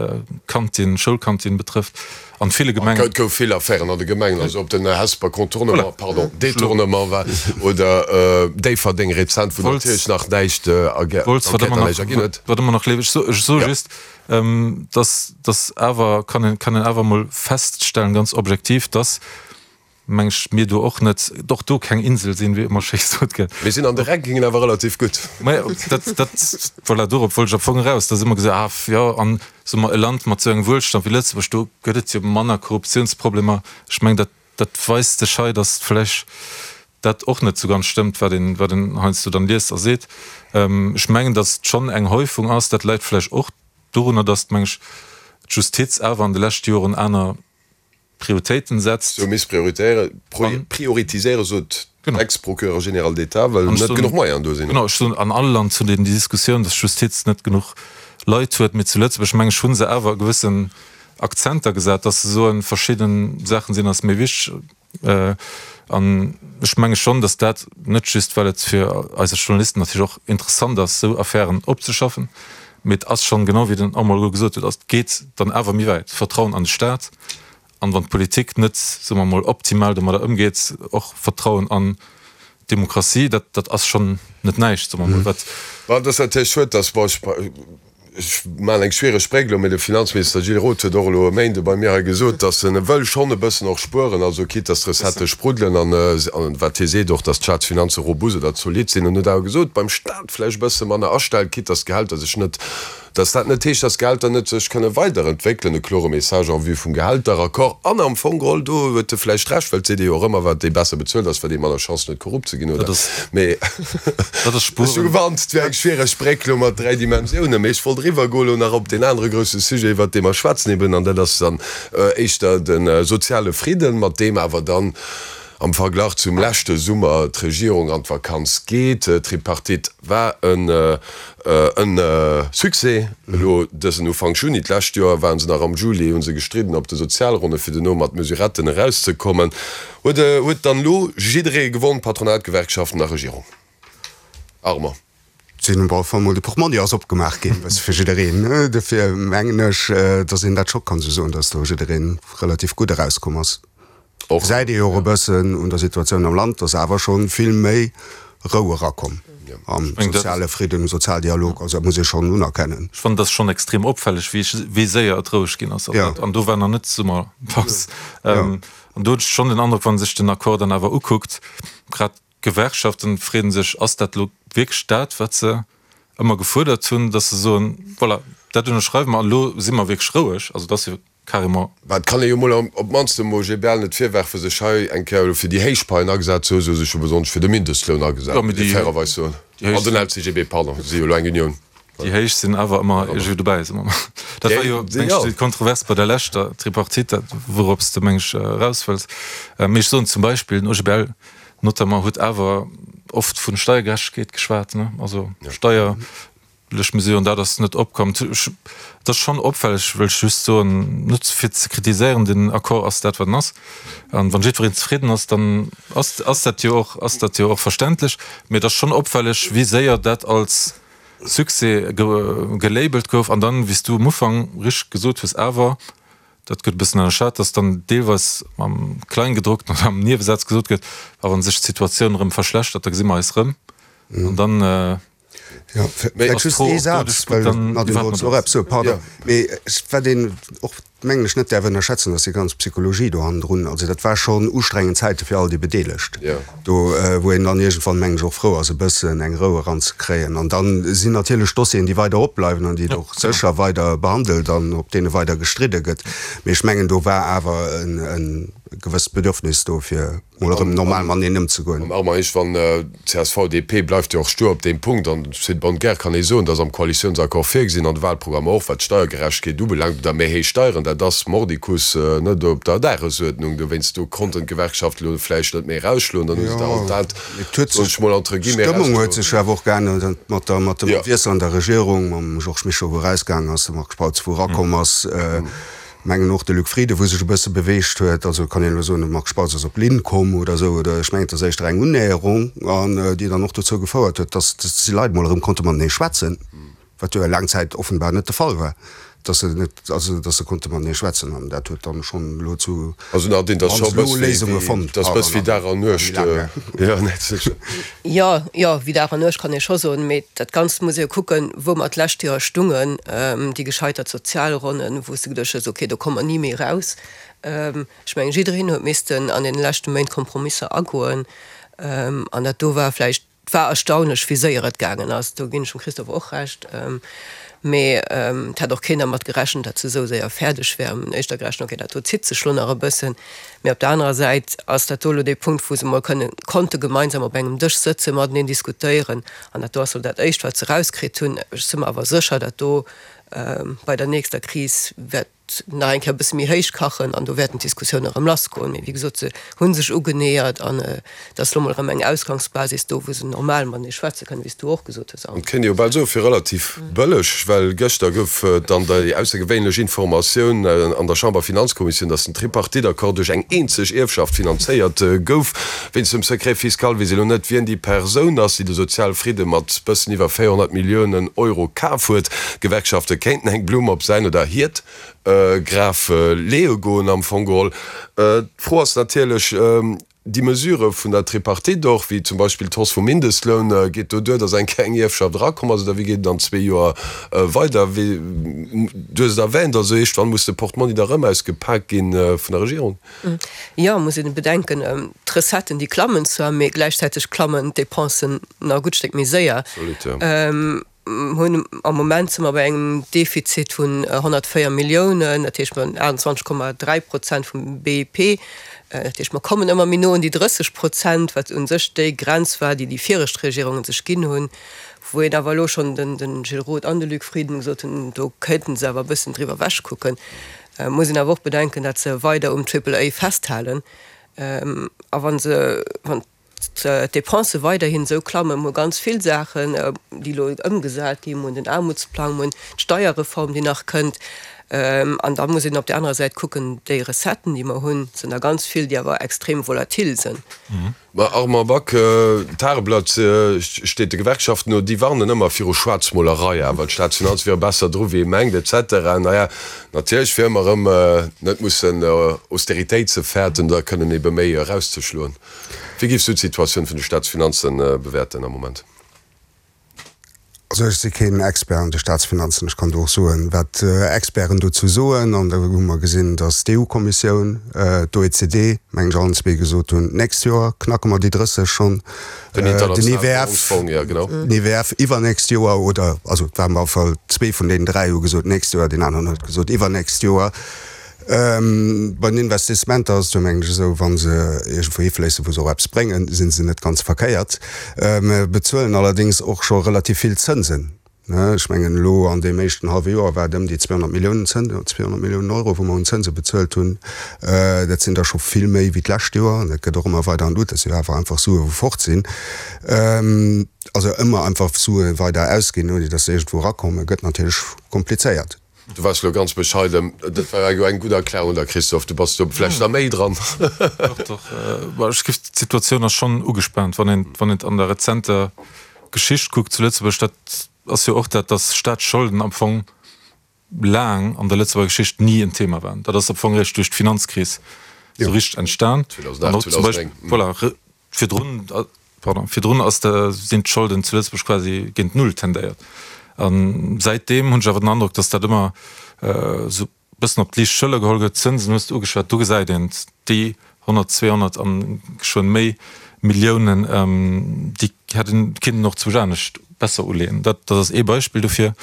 Speaker 6: Kantin, Schoulkantin betrëfft, an ville Gemengen.
Speaker 3: Et gouf vill Affären an de Gemengen, also ob den Hesper Contournement, pardon, Détournement war oder Déifferdeng rezent, wou natierlech nach näischt
Speaker 6: d'Enquête nach näischt erginn huet. Wat ëmmer nach leeft. Ech soe just, dass, dass awer, kann een, kann een awer emol feststellen, ganz objektiv, dass, meng ech, mir do och net, och do keng Insel sinn, wéi ëmmer schéi gesot gëtt.
Speaker 3: Mir sinn an de Rankingen awer relativ gutt.
Speaker 6: Majo, dat, dat, voilà, dorop wollt ech am Fong eraus, dass ëmmer gesot, ah jo, an soe mer e Land mat esou engem Wuelstand wéi Lëtzebuerg, do gëtt et jo manner Korruptiounsproblemer. Ech mengen, dat, dat weist sech hei, dass vläch dat och net esou ganz stëmmt, wat een, wat een heiansdo dann liest a seet. Ech mengen, dass et schonn eng Häufung ass, dat läit vläch och dorunner, dass, meng ech, d'Justiz awer an de leschte Joren aner Prioritéiten setzt.
Speaker 3: Sou misst prioritiséieren, sot d'Ex-Procureure générale d'État, well net genuch Moyenen do sinn.
Speaker 6: Genau, ech soen, an all Land huet een déi Diskussioun, datt d'Justiz net genuch Leit huet. Mee zu Lëtzebuerg, meng ech, hu se awer gewëssen Akzenter gesat, datt se soen, verschidde Saachen sinn eis méi wichteg. An ech menge schonn, datt dat net just, well et fir eis als Journalisten natierlech och interessant ass, esou Affären opzeschaffen, mee et ass schonn, genau wéi den Armand elo gesot huet, et geet dann awer méi wäit, Vertrauen an de Staat. An wann d'Politik net, soe mer emol, optimal domadder ëmgeet, och Vertrauen an d'Demokratie, dat, dat ass schonn net näischt, soe mer emol. Wat.
Speaker 3: Bon, et ass natierlech schued, dass, bon, ech, ech maachen eng schwiereg Bréck elo, mee de Finanzminister Gilles Roth huet och elo e Méinde bei mir hei gesot, dass en wëll schonn e bëssen och spueren, also quitte dass d'Recettë spruddelen an, an wat hie seet och, dass d'Staatsfinanze robust oder zolidd sinn. En huet awer gesot, beim Staat vläicht e bësse manner astellen, quitte dass d'Gehälter sech net Dass dat net heescht, dass d'Gehälter net sech kënne weiderentwéckelen, e klore Message en vue vum Gehälteraccord. An am Fong geholl, do huet e vläicht Recht, well et seet ee jo och ëmmer, wat ee besser bezuelt ass, wat ee manner Chancen huet korrupt ze ginn, oder? Mee ech hu gewarnt, et wier eng schwiereg Bréck elo mat dräi Dimensiounen. Mee ech wollt eriwwergoen elo nach op deen anere grousse Sujet, iwwert dee mer schwätzen eben, an dat ass dann éischter de soziale Fridden, mat deem awer dann am Verglach zum leschte Summer d'Regierung an d'Vakanz geet. D'Tripartite war e Succès elo dësen Ufank Juni. D'lescht Joer waren se nach am Juli, hu se gestridden op de Sozialronne fir duerno mat Mesuretten erauszekommen. Huet huet dann elo jidderee gewonn, Patronat, Gewerkschaften a Regierung? Armand.
Speaker 4: Sinn op alle Fall mol de Portmonni ass opgemaach ginn, bësse fir jiddereen. Dofir mengen ech, datt een dat scho kann esou soen, datt do jidderee relativ gutt erauskomm ass. Gesäit ee jo och e bëssen un der Situatioun am Land, dass awer scho vill méi Rou erakomm am soziale Fridden, um Sozialdialog. Also dat muss ee schonn unerkennen.
Speaker 6: Ech fannen, dat ass schonn extrem opfälleg, wéi séier et roueg ginn ass. An do war nach net Summerpaus. An do hunn ech schonn den Androck, wa sech den Accord dann awer ukuckt, grad d'Gewerkschaften freeën sech, ass dat elo wierklech dat, wat se ëmmer gefuerdert hunn, dass se soen, voilà, dat ënnerschreiwe mer an elo si mer wierklech roueg. Also dat ass jo carrément.
Speaker 3: Mä et kann ee jo mol op d'mannst dem OGBL net virwerfen, sech hei eng Kéier elo fir déi héich Paien agesat ze hunn. Se hu sech jo besonnesch fir de Mindestloun agesat, muss ee fairerweis soen. An den L C G B, pardon, si jo elo eng Unioun.
Speaker 6: Déi héich sinn awer ëmmer iergendwéi dobäi, soe mer mol. Dat war jo, meng ech, déi Kontrovers bei der leschter Tripartite, dat wourops de, meng ech, eraus wëlls. Mee ech soen zum Beispill, den O G B L notamment huet awer oft vun Steiergerechtegkeet geschwat, ne, also steierlech Mesuren, dat ass net opkomm. Et ass schonn opfälleg, wëll ech just soen, net fir ze kritiséieren, den Accord ass dat wat en ass, an wann jiddwereen zefridden ass, dann ass ass dat jo och ass dat jo och verständlech, mee et ass schonn opfälleg, wéi séier dat als Succès gelabelt gouf an dann, wéi s du um Ufank richteg gesot hues, awer, dat gëtt e bëssen ënnerschat, dass dann deelweis am Kleingedruckten oder am Niewesaz gesot gëtt, a wa sech d'Situatioun erëm verschlechtert, da gesi mer eis erëm. An dann
Speaker 4: Jo, vläicht just ee Saz, well d'Nadine wollt och eppes soen, pardon. Mee wat een och, mengen ech, net däerf ënnerschätzen, ass déi ganz Psychologie do hannendrun. Also dat war schonn ustrengend Zäite fir all déi Bedeelegt do, wou een dann iergendwann, mengen ech, och frou ass, e bëssen eng Rou eranzekréien. An da sinn natierlech Dossieren, déi weider opbleiwen an déi et och sécher weider behandelt an op deene weider gestridde gëtt. Mee ech mengen, do war awer e gewësst Bedürfnis do, fir mol erëm normal mateneen ëmzegoen.
Speaker 3: An Armand Heesch, wann csv, D P bleift jo och stur op deem Punkt, an c'est de bonne guerre kann ee soen, dass am Koalitiounsaccord virgesinn, an de Wahlprogrammer och, wat d'Steiergerechtegkeet ubelaangt, oder méi héich Steieren, dat ass mordicus net op der Dagesuerdnung. Dowéinst, do konnten d'Gewerkschaften elo vläicht net méi erausschloen, dann hu se da halt dat, soen ech mol, entre guillemets,
Speaker 4: D'Stëmmung huet sech awer och geännert mat der, mat dem Wiessel an der Regierung, mam Georges Mischo, wou erausgaangen ass, de Marc Spautz, wou erakomm ass. Mengen och de Luc Frieden, wou sech e bësse beweegt huet. Also kann een elo soen, de Marc Spautz ass op Linn komm oder esou, oder ech mengen, et ass éischter eng Unnäherung, an déi dann och dozou gefouert huet, datt déi Leit mol erëm konnte matenee schwätzen, wat jo laang Zäit offenbar net de Fall war, datt se net, also datt se konnte matenee schwätzen. An dat huet dann schonn elo zu
Speaker 3: Also Nadine, dat ass scho e bëss
Speaker 4: Léisunge
Speaker 3: wéi,
Speaker 4: fonnt.
Speaker 3: dat ass bëss wéi Dag an Nuecht. Jo, net sécher.
Speaker 5: Jo, jo, wéi Dag an Nuecht kann ee scho soen, mee dat Ganzt muss ee jo kucken, wou mer d'lescht Joer stungen, déi gescheitert Sozialronnen, wou s de geduecht hues, okay, do komme mer ni méi eraus. Ech mengen, jiddereen huet missten an deene leschte Méint Kompromisser agoen. An dat do war vläicht, et war erstaunlech, wéi séier et gaangen ass. Do ginn ech dem Christophe och Recht. Mee et hat och keen dermat gerechent, datt se esou séier fäerdeg wär. Mir hunn éischter gerechent, okay, dat do zitt sech lo nach e bëssen. Mee op der anerer Säit ass dat do elo dee Punkt, wou se emol kënnen, konnte gemeinsam op engem Dësch sëtzen, mateneen diskutéieren. An dat do ass elo dat Éischt, wat se erauskritt hunn. Ech si mer awer sécher, dat do bei der nächster Kris wäert nach eng Kéier e bësse méi héich kachen an do wäerten d'Diskussioune erëm lassgoen. Mee wéi gesot, se hu sech ugeneeërt an et ass elo mol erëm eng Ausgangsbasis do, wou se normal matenee schwätze kënnen, wéi s du och gesot hues,
Speaker 3: An et kéint ee jo bal soe fir relativ bëlleg, well gëschter gouf dann déi aussergewéinlech Informatioun an der Chamberfinanzkommissioun, datt den Tripartite-Accord duerch eng eenzeg Ierfschaft finanzéiert gouf. Wéinst dem Secret fiscal weess ee lo net, wien déi Persoun ass, déi de Sozialfridde mat bëssen iwwer véierhonnert Milliounen Euro kaf huet. D'Gewerkschafte kéinten eng Blumm op säin oder hiert Graf leeë goen am Fong geholl. D'Fro ass natierlech, déi Mesurë vun der Tripartite och, wéi zum Beispill d'Hausse vum Mindestloun, geet do duer, datt eng kleng Ierfschaft erakomm ass, oder wéi geet et an zwee Joer weider? Wéi, du hues et erwähnt, also iergendwann muss de Portmonni da rëm ausgepak gi vun der Regierung.
Speaker 5: Jo, muss een bedenken, d'Recetten déi klammen zwar, mee gläichzäiteg klammen d'Depensen nach e gutt Stéck méi séier.
Speaker 3: Absolut, jo.
Speaker 5: Hunn am Moment si mer bei engem Defizit vun honnertvéier Milliounen, dat heescht mer hunn aachtundzwanzeg Komma dräi Prozent vum B I P. Dat heescht, mer kommen ëmmer méi no un déi drësseg Prozent, wat u sech déi Grenz war, déi déi viregt Regierungen sech ginn hunn, wou een awer elo schonn, den Gilles Roth an de Luc Frieden gesot hunn, do kéinten se awer e bëssen driwwer ewechkucken. Et muss een awer och bedenken, datt se weider um Triple A festhalen a wa se, wann d'Depensë weiderhin esou klammen, mir hu ganz vill Saachen, déi elo ëmgesat ginn, mir hunn den Aarmutsplang, mir hunn d'Steierreform, déi nach kënnt. An da muss een op där anerer Säit kucken, déi Recetten, déi mer hunn, sinn der ganz vill, déi awer extrem volatil sinn.
Speaker 3: Ma Armand Back, D'Tageblatt steet de Gewerkschaften no, déi warnen ëmmer viru Schwaarzmolerei awer, d'Staatsfinanze wiere besser dru wéi ee mengt, et cetera. Naja, natierlech fir ëmmer erëm net mussen Austeritéit ze fäerten, da kënnen ebe méi erauszeschloen. Wéi géifs du d'Situatioun vun de Staatsfinanzen bewäerten am Moment?
Speaker 4: Also ech si keen Expert an de Staatsfinanzen. Ech kann do och soen, wat Experten dozou soen. An do hu mer gesinn, datt d'E U-Kommissioun, d'O E C D, meng ech, allen zwee gesot hunn, d'nächst Joer knacke mer déi drësseg schonn.
Speaker 3: Den
Speaker 4: Den
Speaker 3: Internationale
Speaker 4: I W F,
Speaker 3: Währungsfong, jo genau.
Speaker 4: den I W F iwwernächst Joer, oder also et waren op alle Fall zwee vun deenen dräi hu gesot d'nächst Joer, deen aneren huet gesot iwwernächst Joer. Bei den Investissementer ass et jo, mengen ech, esou, wa se iergendwou hifléissen, wou se och eppes bréngen, si se net ganz verkéiert. Mer bezuelen allerdéngs och scho relativ vill Zënsen. Ech mengen, elo an deem éischten hallwe Joer war et ëm déi zweehonnert Milliounen Zënsen, zweehonnert Milliounen Euro, wou mer un Zënse bezuelt hunn. Dat sinn der scho vill méi wéi d'lescht Joer an dat gëtt och ëmmer weider an d'Lut. Dat si jo awer einfach Sue wou fort sinn. Also ëmmer einfach Sue weider ausginn, ouni datt se iergendwou erakommen, gëtt natierlech komplizéiert.
Speaker 3: Du waars elo ganz bescheiden. Dat war jo eng gutt Erklärung da, Christophe. Du bass do vläicht nach méi dran.
Speaker 6: Dach, dach. Ech géif, d'Situatioun ass schonn ugespaant, wann een, wann een an der rezenter Geschicht kuckt zu Lëtzebuerg. Dat ass jo och dat, datt Staatsscholden am Fong laang an der Lëtzebuerger Geschicht ni en Thema waren. Dat ass am Fong eréischt duerch d'Finanzkris esou richteg entstan. An och zum Beispill, voilà, virdrun, pardon, virdrun ass de, sinn d'Scholden zu Lëtzebuerg quasi géint Null tendéiert. A säitdeem hunn ech awer den Androck, datt dat ëmmer esou bëssen op d'liicht Schëller geholl gëtt. D'Zënsen hues de ugeschwat, do gesäit een et, déi honnert, zweehonnert an geschwënn méi Milliounen, déi hätt een kinnten och zwousch anescht besser uleeën. Dat ass ee Beispill dofir.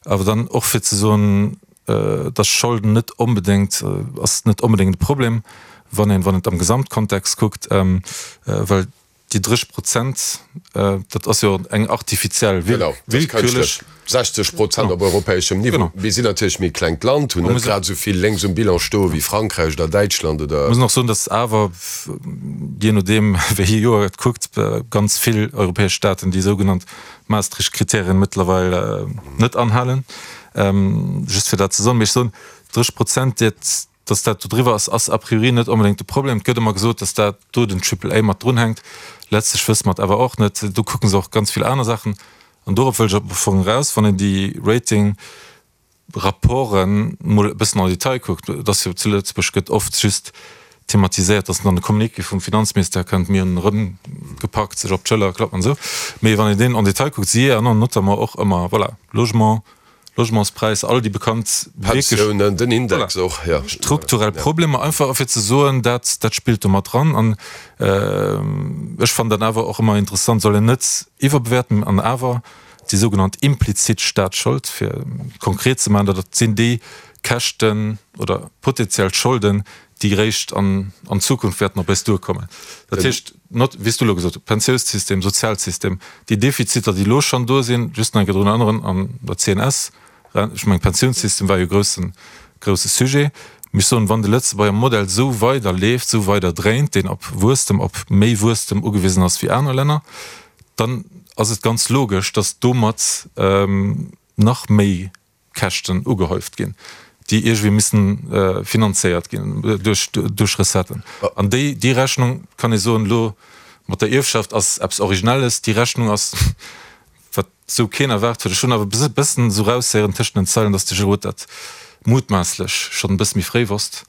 Speaker 6: Awer dann och fir ze soen, dass Scholden net onbedéngt, ass net onbedéngt e Problem, wann een, wann et am Gesamtkontext kuckt, well déi dréch Prozent, dat ass jo eng artifiziell, willkürlech.
Speaker 3: sechzeg Prozent op europäeschem Niveau. Mir sinn natierlech méi e klengt Land, hunn net grad esou vill lénks um Bilan stoe wéi Frankräich oder Däitschland oder.
Speaker 6: Muss och soen, datt awer, jee nodeem wéi ee Joer et kuckt, ganz vill europäesch Staaten déi sougenannt Maastricht-Kriterien mëttlerweil net anhalen. Just fir dat ze soen. Mee ech soen, dréch Prozent, dat. Dass dat do driwwer ass, ass a priori net onbedéngt de Problem. Et gëtt ëmmer gesot, dass dat do den Triple A mat drunhänkt. Letztlech wësse mer et awer och net. Do kucke se och ganz vill aner Saachen. An dorop wëll ech am Fong eraus, wann een déi Rating-Rapporten mol e bëssen en détail kuckt, et ass jo zu Lëtzebuerg gëtt oft just thematiséiert, dass dann de Communiqué vum Finanzministère kënnt, mir hunn erëmgepackt, sech op d'Schëller klappen an esou. Mee wann een deen en détail kuckt, si erënneren notamment och ëmmer, voilà, Logement, Logementspräisser, all déi bekannt
Speaker 3: Pensiounen, den Index och,
Speaker 6: jo. Strukturell Problemer, einfach fir ze soen, dat, dat spillt do mat dran. An ech fannen dat awer och ëmmer interessant, soll een net iwwerbewäerten, an awer déi sougenannt implizit Staatsschold, fir konkret ze maachen, dat sinn déi Käschten oder potenziell Scholden, déi eréischt an an Zukunft wäerten op eis duerkommen. Dat heescht, not, wéi s du elo gesot hues, Pensiounssystem, Sozialsystem, déi Defiziter, déi elo schonn do sinn, just nach eng Kéier drun erënneren, an der C N S, ech mengen, Pensiounssystem war jo e groussen, grousse Sujet. Mee ech soen, wann de Lëtzebuerger Modell esou weider leeft, esou weider dréint, deen op Wuesstem, op méi Wuesstem ugewisen ass wéi aner Länner, dann ass et ganz logesch, datt domat nach méi Käschten ugehäuft ginn, déi iergendwéi missen finanzéiert ginn duerch duerch Recetten. An déi déi Rechnung, kann ee soen, elo mat der Ierfschaft ass eppes Originelles, déi Rechnung ass, wat esou keen erwaart huet. Ech hunn awer e bëssen esou eraushéieren tëschent den Zeilen, datt de Gilles Roth dat mutmaasslech schonn e bësse méi fréi wosst.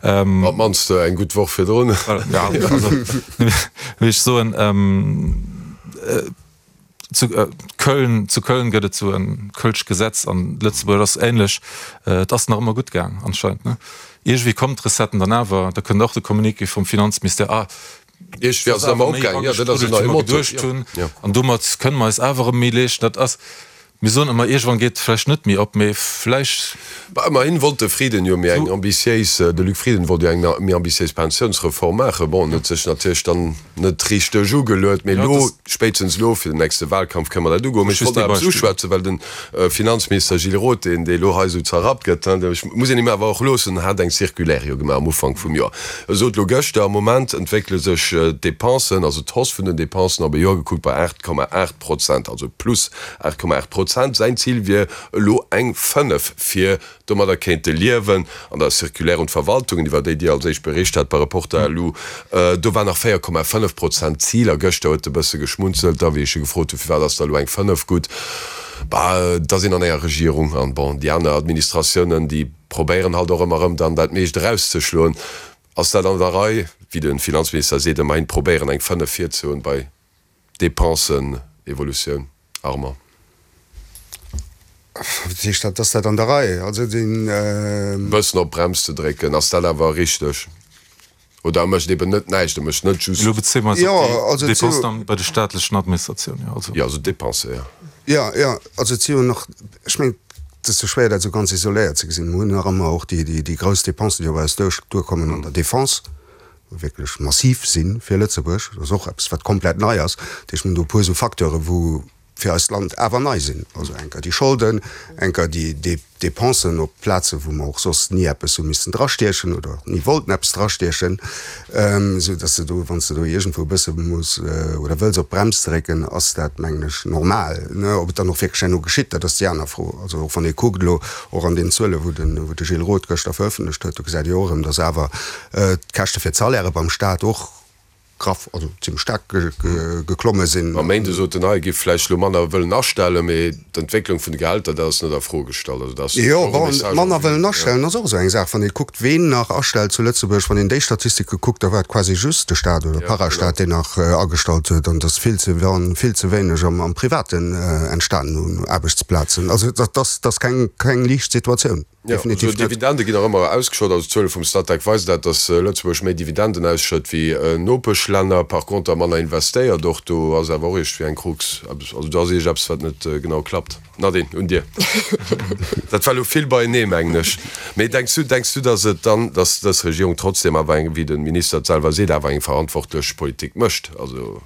Speaker 3: Op d'mannst eng gutt Woch virdrun.
Speaker 6: Ja, also, wéi ech soen, Zu Köln, zu Köln gëtt et sou e kölscht Gesetz an Lëtzebuerg ass ähnlech. Et ass nach ëmmer gutt gaang anscheinend, ne? Iergendwéi kommen d'Recetten dann awer, da kënnt och de Communiqué vum Finanzministère, ah,
Speaker 3: Iergendwéi ass et awer opgaang, jo, dat ass en neie Motto, jo,
Speaker 6: jo. An domat kënne mer eis awer erëm méi leeschten. Dat ass, mir soen ëmmer, iergendwann geet et vläicht net méi op, mee vläicht.
Speaker 3: Bah, ëmmerhin wollt de Frieden jo méi eng ambitiéis, de Luc Frieden wollt jo eng méi ambitiéis Pensiounsreform maachen. Bon, en huet sech natierlech dann net richteg ugeluet, mee elo, spéitstens elo fir den nächste Wahlkampf kënne mer dat ugoen. Mee ech wollt nach eppes uschwätzen, well de Finanzminister Gilles Roth, deen dee elo hei esou zerrappt gëtt, ech muss een him awer och loossen, hat eng Circulaire jo gemaach am Ufank vum Joer. E sot elo gëschter, am Moment entwéckele sech d'Depensen, also d'Hausse vun den Depensen op e Joer gekuckt bei aacht Komma aacht Prozent, also plus aacht Komma aacht Prozent. Säin Zil wier elo eng fënnef, fir domadder kéinte liewen. An der Circulaire un d'Verwaltungen, iwwer déi Dir als éischt bericht hat bei Reporter punkt lu, do war nach véier Komma fënnef Prozent d'Zil. A gëschter huet e bësse geschmunzelt da, wéi ech e gefrot hunn, firwat ass da elo eng fënnef gutt? Bah, et ass een an enger Regierung an, bon, déi aner Administratiounen, déi probéieren halt och ëmmer erëm dann dat meescht erauszeschloen. Ass dat an der Rei, wéi de Finanzminister seet, ëmmerhin probéieren eng fënnef virzehoen bei Dépensen-Evolutioun, Armand?
Speaker 4: Wat heescht dat, ass dat an der Rei? Also den.
Speaker 3: Bëssen op d'Brems ze drécken, ass dat awer richteg? Oder e mécht eben net näischt, e mécht net just.
Speaker 6: Elo bezéie mer eis op déi Dépensen dann bei de staatlechen Administratiounen, jo,
Speaker 3: also. Jo, also d'Dépensen, jo.
Speaker 4: Jo, jo, also et si jo nach, ech mengen, et ass jo schwéier dat esou ganz isoléiert ze gesinn. Mer hunn nach ëmmer och déi, déi grouss Dépensen, déi op eis duerkommen an der Défense, wou wierklech massiv si fir Lëtzebuerg. Dat ass och eppes, wat komplett nei ass. Dat heescht, mer hunn do e puer esou Facteuren, wou fir eist Land awer nei sinn. Also enker déi Scholden, enker déi Dépensen op Plaze wou mer och soss ni eppes hu missen drastiechen oder ni wollten eppes drastiechen, esou dass de do, wann s de do iergendwou e bësse muss oder wëlls op d'Brems drécken, ass dat, mengen ech, normal. Ob et dann och wierklech herno geschitt, dat ass déi aner Fro. Also och wann ee kuckt elo och an den Zuele wou de wou de Gilles Roth gëschter verëffentlecht huet, do gesäit ee jo och erëm, dass awer d'Käschte fir d'Salairë beim Stat och graff, also zimmlech staark geklomme sinn.
Speaker 3: Am Méinde sot en, hei giff vläicht elo manner wëllen astellen, mee d'Entwécklung vun de Gehälter, dat ass net a Fro gestallt. Also dat ass
Speaker 4: Jo, bon, manner wëllen astellen ass och esou eng Saach. Wann ee kuckt, ween nach astellt zu Lëtzebuerg, wann een déi Statistike kuckt, da war et quasi just de Staat oder Parastat, deen nach agestallt huet, an et ass vill ze, vill ze wéineg am Privaten entstanen un Aarbechtsplazen. Also dat ass keng liicht Situatioun.
Speaker 3: Jo, also d'Dividende ginn nach ëmmer ausgeschott. Also d'Zuele vum Statec weisen dat, datt Lëtzebuerg méi Dividenden ausschëtt wéi Nopeschlänner, par conter manner investéiert. Och do ass awer och iergendwéi eng Krux. Also do ass iergendeppes, wat net genau klappt. Nadine, un dir. Dat war elo vill beienee, mengen ech. Mee denks du, denks du, datt et dann, datt dës Regierung trotzdem awer eng, wéi de Minister et selwer seet, awer eng verantwortlech Politik mécht? Also.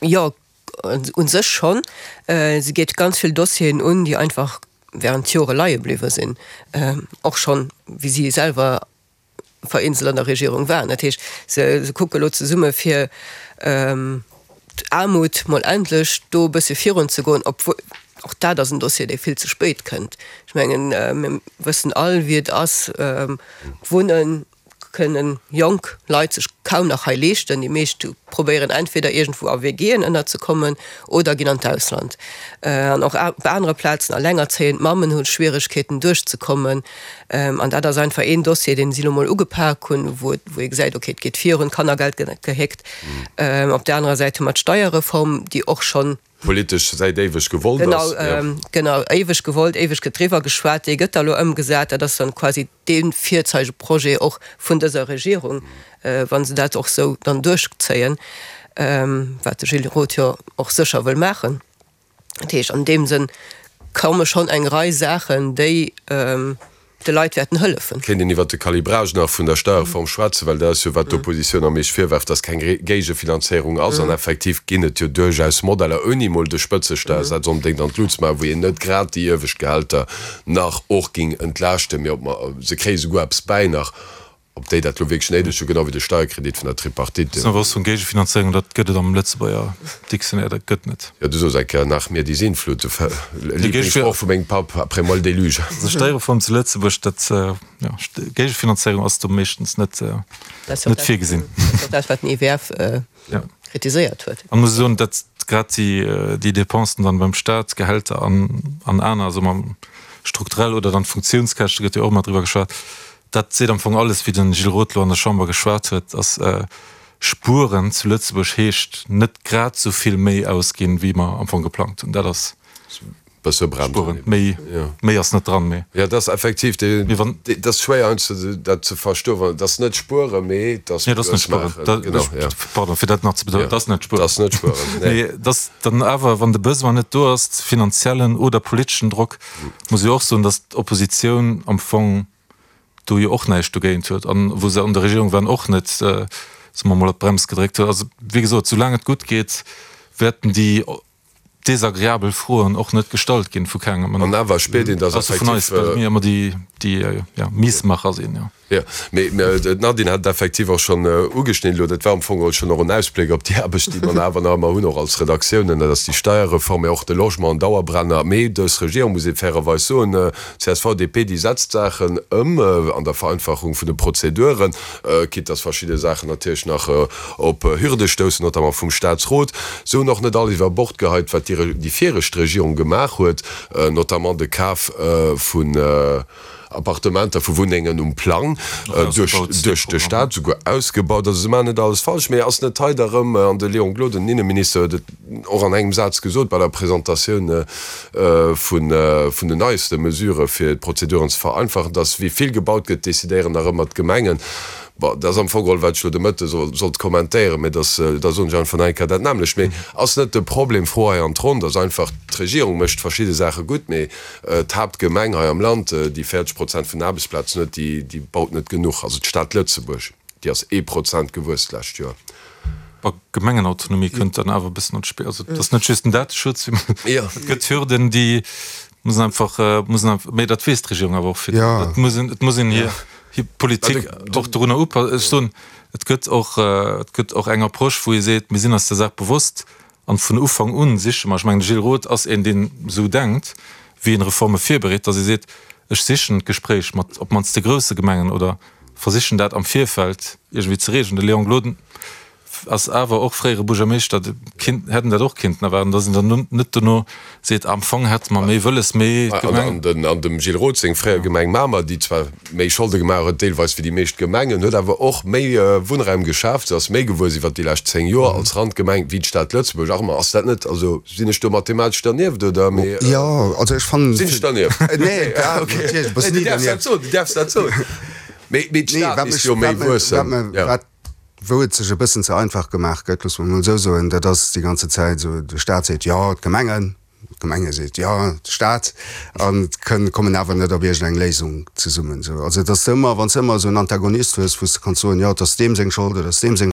Speaker 5: Jo, u sech schonn. Se geet ganz vill Dossieren un, déi einfach während Jore leie bliwwe sinn, och schonn wéi si selwer vereenzel an der Regierung waren. Dat heescht, se kucke elo zesumme fir d'Aarmut mol endlech do e bësse virunzegoen, obwuel och dat ass en Dossier, dee vill ze spéit kënnt. Ech mengen, mir wëssen all, wéi et ass, Wunnen kënnen jonk Leit sech kaum nach hei leeschten. Déi meescht probéieren entweder iergendwou a WGen ënnerzekommen oder ginn an d'Ausland. An och op anere Plazen, allengerzéiend Mammen hu Schwieregkeeten duerchzekommen. An dat ass einfach een Dossier, deen si elo mol ugepak hunn, wou ee gesäit, okay, et geet virun, d'Kannergeld gëtt net gehéckt. Op där anerer Säit hu mer d'Steierreform, déi och schonn,
Speaker 3: Politesch säit éiweg gewollt
Speaker 5: ass. Genau, genau, éiweg gewollt, éiweg gëtt driwwer geschwat, déi gëtt da elo ëmgesat. Dat ass dann quasi dee Virzeigeprojet och vun dëser Regierung, wa se dat och esou dann duerchzéien, wat de Gilles Roth jo och sécher wëll maachen. Dat heescht, an deem Sënn komme schonn eng Rei Saachen, déi de Leit wäerten hëllefen.
Speaker 3: Kéint een iwwert de Calibrage nach vun der Steierreform schwätzen, well dat ass jo, wat d'Oppositioun am meescht virwerft, dass keng Géigefinanzéierung ass. An effektiv ginn et jo duerchaus Modeller, ouni emol de Spëtzesteiersaz onbedéngt an d'Lut ze maachen, wou een net grad déi iewescht Gehälter nach och géing entlaaschten, mee ob mer, se kréie souguer eppes bäi nach, Ob déi dat elo wierklech néideg hunn, genau wéi de Steierkredit vun der Tripartite.
Speaker 6: Ass nach vun Géigefinanzéierung, dat gëtt et am Lëtzebuerger Dictionnaire, dat gëtt net.
Speaker 3: Jo, du soos eng Kéier, nach mir die Sintflut, de Lieblingssproch vu mengem Papp, après moi le déluge.
Speaker 6: Also Steierreform zu Lëtzebuerg, dat, jo, Géigefinanzéierung ass do meeschtens net, net virgesinn.
Speaker 5: Dat ass och dat, wat den I W F kritiséiert huet.
Speaker 6: An muss soen, datt grad déi, déi Dépensen dann beim Staat, Gehälter an, an aner, soe mer strukturell oder dann d'Funktiounskäschte gëtt jo och ëmmer driwwer geschwat, Dat seet am Fong alles, wéi de Gilles Roth elo an der Chamber geschwat huet, ass spueren zu Lëtzebuerg heescht net grad esou vill méi ausginn, wéi mer am Fong geplangt hunn. Dat ass spueren. Méi, méi ass net dran. Mee.
Speaker 3: Jo, dat ass effektiv, dat ass schwéier heiansdo dat ze verstoen, well et ass net spueren, mee et ass
Speaker 6: Nee, et ass net spueren. Genau, jo. Pardon, fir dat nach ze betounen, et ass net spueren.
Speaker 3: Et ass net spueren, nee.
Speaker 6: Mee et ass dann awer, wann de Besoin net do ass, finanziellen oder politeschen Drock, muss ee och soen, datt d'Oppositioun am Fong do jo och näischt dogéint huet an wou se an der Regierung waren och net, soe mer mol, op d'Brems gedréckt huet. Also wéi gesot, soulaang et gutt geet, wäerten déi desagreabel Froen och net gestallt ginn vu kengem.
Speaker 3: An awer spiert een, dass
Speaker 6: effektiv. Ausser vun eis, well mir ëmmer déi, déi, jo, Miesmacher sinn, jo.
Speaker 3: Jo, mee d'Nadine hat et effektiv och schonn ugeschnidden elo. Dat war am Fong geholl schonn och en Ausbléck op déi Aarbecht, déi mer awer nach ëmmer hunn, och als Redaktiounen. Dat ass déi Steierreform, mee och de Logement, en Dauerbrenner. Mee dës Regierung, muss ee fairerweis soen, csv, D P, déi setzt d'Saachen ëm an der Vereinfachung vun de Prozeduren, quitte dass verschidde Saachen natierlech nach op Hürde stoussen, notamment vum Statsrot. Se hunn och net alles iwwer Bord geheit, wat déi viregt Regierung gemaach huet, notamment de Kaf vun Appartementer, vu Wunnengen um Plang duerch de Stat, souguer ausgebaut. Also se maachen net alles falsch. Mee ass net hei da rëm, an de Léon Gloden, den Inneminister, huet et och an engem Saz gesot bei der Presentatioun vun den neiste Mesurë fir d'Prozeduren ze vereinfachen, dass wéi vill gebaut gëtt, decidéieren nach ëmmer d'Gemengen. Bon, dat ass am Fong geholl, wat ech elo de Mëtte sollt kommentéieren, mä dass, da soen ech einfach nach eng Kéier dat nämmlecht. Mee ass net de Problem, Fro hei an d'Ronn, dass einfach d'Regierung mécht verschidde Saache gutt, mee d'Haaptgemeng hei am Land, déi véierzeg Prozent vun den Aarbechtsplazen huet, déi, déi baut net genuch. Also d'Stad Lëtzebuerg, déi ass ee Prozent gewuess d'lescht Joer.
Speaker 6: Gemengenautonomie kënnt dann awer e bëssen an d'Spill. Also et ass net just den Dateschutz, et gëtt Hürden, déi mussen einfach, mussen einfach, mee dat weess d'Regierung awer och vill. Et muss een, et muss een hir, hir Politik och dorunner upassen. Ech soen, et gëtt och, et gëtt och eng Approche, wou ee seet, mir sinn eis der Saach bewosst an vun Ufank un siche mer, ech mengen de Gilles Roth ass een, deen esou denkt, wéi een Reforme virbereet, datt ee seet, ech sichen d'Gespréich mat op d'mannst de grousse Gemengen oder versichen dat am Virfeld iergendwéi ze regeln. De Léon Gloden ass awer och fréiere Buergermeeschter, kinnt, hätt en dat och kinnten erwaarden, datt en dann net dono seet, am Fong hätte mer méi wëlles, mee
Speaker 3: d'Gemeng. An an dem Gilles Roth seng fréier Gemeng Mamer, déi zwar méi Scholde gemaach huet deelweis wéi déi meescht Gemengen, huet awer och méi Wunnraum geschaaft, se ass méi gewuess iwwert déi lescht zéng Joer als Randgemeng wéi d'Stad Lëtzebuerg. Ach ma ass dat net, also sinn ech do mathematesch dernieft oder? Mee
Speaker 4: Jo, also ech fannen.
Speaker 3: Sinn ech dernieft?
Speaker 4: Nee, natierlech bass
Speaker 3: ni dernieft. Du däerfs dat soen, du däerfs dat soen. Mee d'Stad misst jo méi wuessen.
Speaker 4: Wou et sech e bëssen ze einfach gemaach gëtt, loosse mer emol esou soen, dat ass déi ganze Zäit esou, de Stat seet, jo, d'Gemengen, d'Gemenge seet, jo, de Stat, an kënn, kommen awer net op iergendeng Léisung zesummen. Esou, also et ass ëmmer, wann s de ëmmer esou en Antagonist hues, wou s de kanns soen, jo, et ass deem seng Schold oder et ass deem seng.